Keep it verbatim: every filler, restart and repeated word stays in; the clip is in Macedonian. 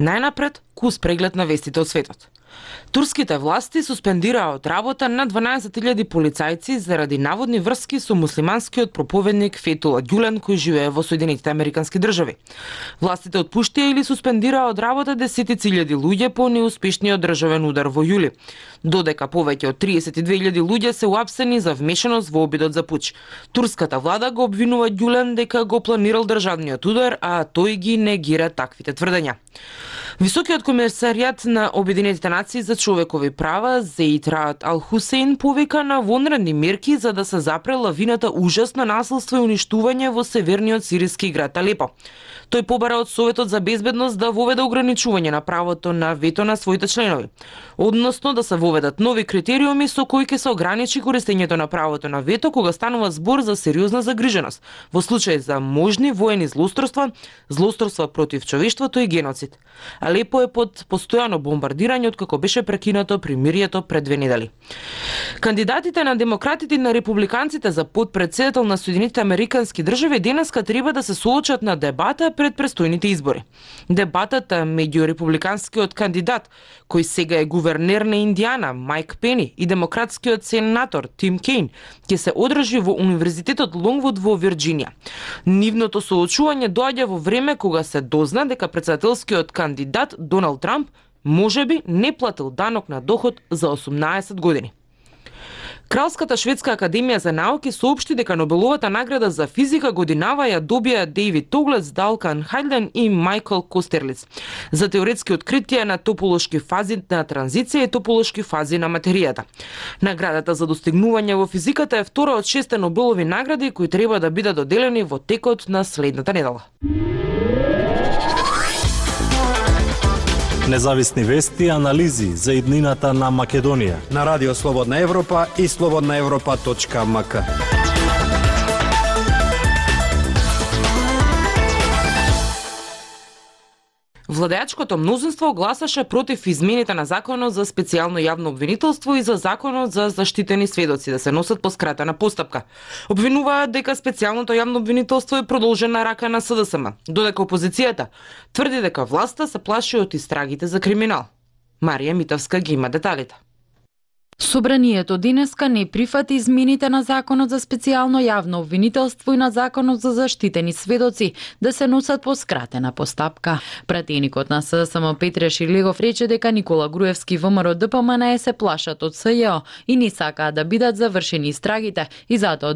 Најнапред, кус преглед на вестите од светот. Турските власти суспендираа од работа на дванаесет илјади полицајци заради наводни врски со муслиманскиот проповедник Фетула Ѓулен кој живее во Соединетите Американски држави. Властите отпуштија или суспендираа од работа десетици илјади луѓе по неуспешниот државен удар во јули. Додека повеќе од триесет и две илјади луѓе се уапсени за вмешаност во обидот за пуч. Турската влада го обвинува Ѓулен дека го планирал државниот удар, а тој ги негира таквите тврдења. Високиот комесаријат на Обединетите нации за човекови права Зеид Раат Ал Хусейн повика на вонредни мерки за да се запре лавината ужасно насилство и уништување во северниот сириски град Алепо. Тој побара од Советот за безбедност да воведе ограничување на правото на вето на своите членови, односно да се воведат нови критериуми со кои ќе се ограничи користењето на правото на вето кога станува збор за сериозна загриженост во случај за можни воени злоустройства, злоустройства против човештвото и геноцид. Алепо е под постојано бомбардирање откако беше прекинато примирието пред две недели. Кандидатите на демократите и на републиканците за потпредседател на Соединетите Американски држави денеска треба да се соочат на дебата пред престојните избори. Дебатата меѓу републиканскиот кандидат, кој сега е гувернер на Индијана, Майк Пени, и демократскиот сенатор Тим Кейн, ќе се одржи во Универзитетот Лонгвуд во Вирџинија. Нивното соочување доаѓа во време кога се дозна дека претседателскиот кандидат Доналд Трамп можеби не платил данок на доход за осумнаесет години. Кралската шведска академија за науки соопшти дека Нобеловата награда за физика годинава ја добија Дејвид Тоглец, Далкан Хајден и Мајкл Костерлиц за теоретски откритија на тополошки фази на транзиција и тополошки фази на материјата. Наградата за достигнување во физиката е втора од шесте Нобелови награди кои треба да бидат доделени во текот на следната недела. Независни вести и анализи за иднината на Македонија на Радио Слободна Европа и слободна европа точка ем ка. Владеачкото мнозинство гласаше против измените на законот за специјално јавно обвинителство и за законот за заштитени сведоци да се носат по скратена постапка. Обвинуваат дека специјалното јавно обвинителство е продолжена рака на С Д С М, додека опозицијата тврди дека власта се плаши од истрагите за криминал. Марија Митовска ги има деталите. Собранието денеска не прифати измените на законот за специјално јавно обвинителство и на законот за заштитени сведоци да се носат по скратена постапка. Пратеникот на С Д С М Петре Ширлегов рече дека Никола Груевски, Вэ М Р Д П М Н Е се плашат од С Ј О и не сакаат да бидат завршени истрагите и затоа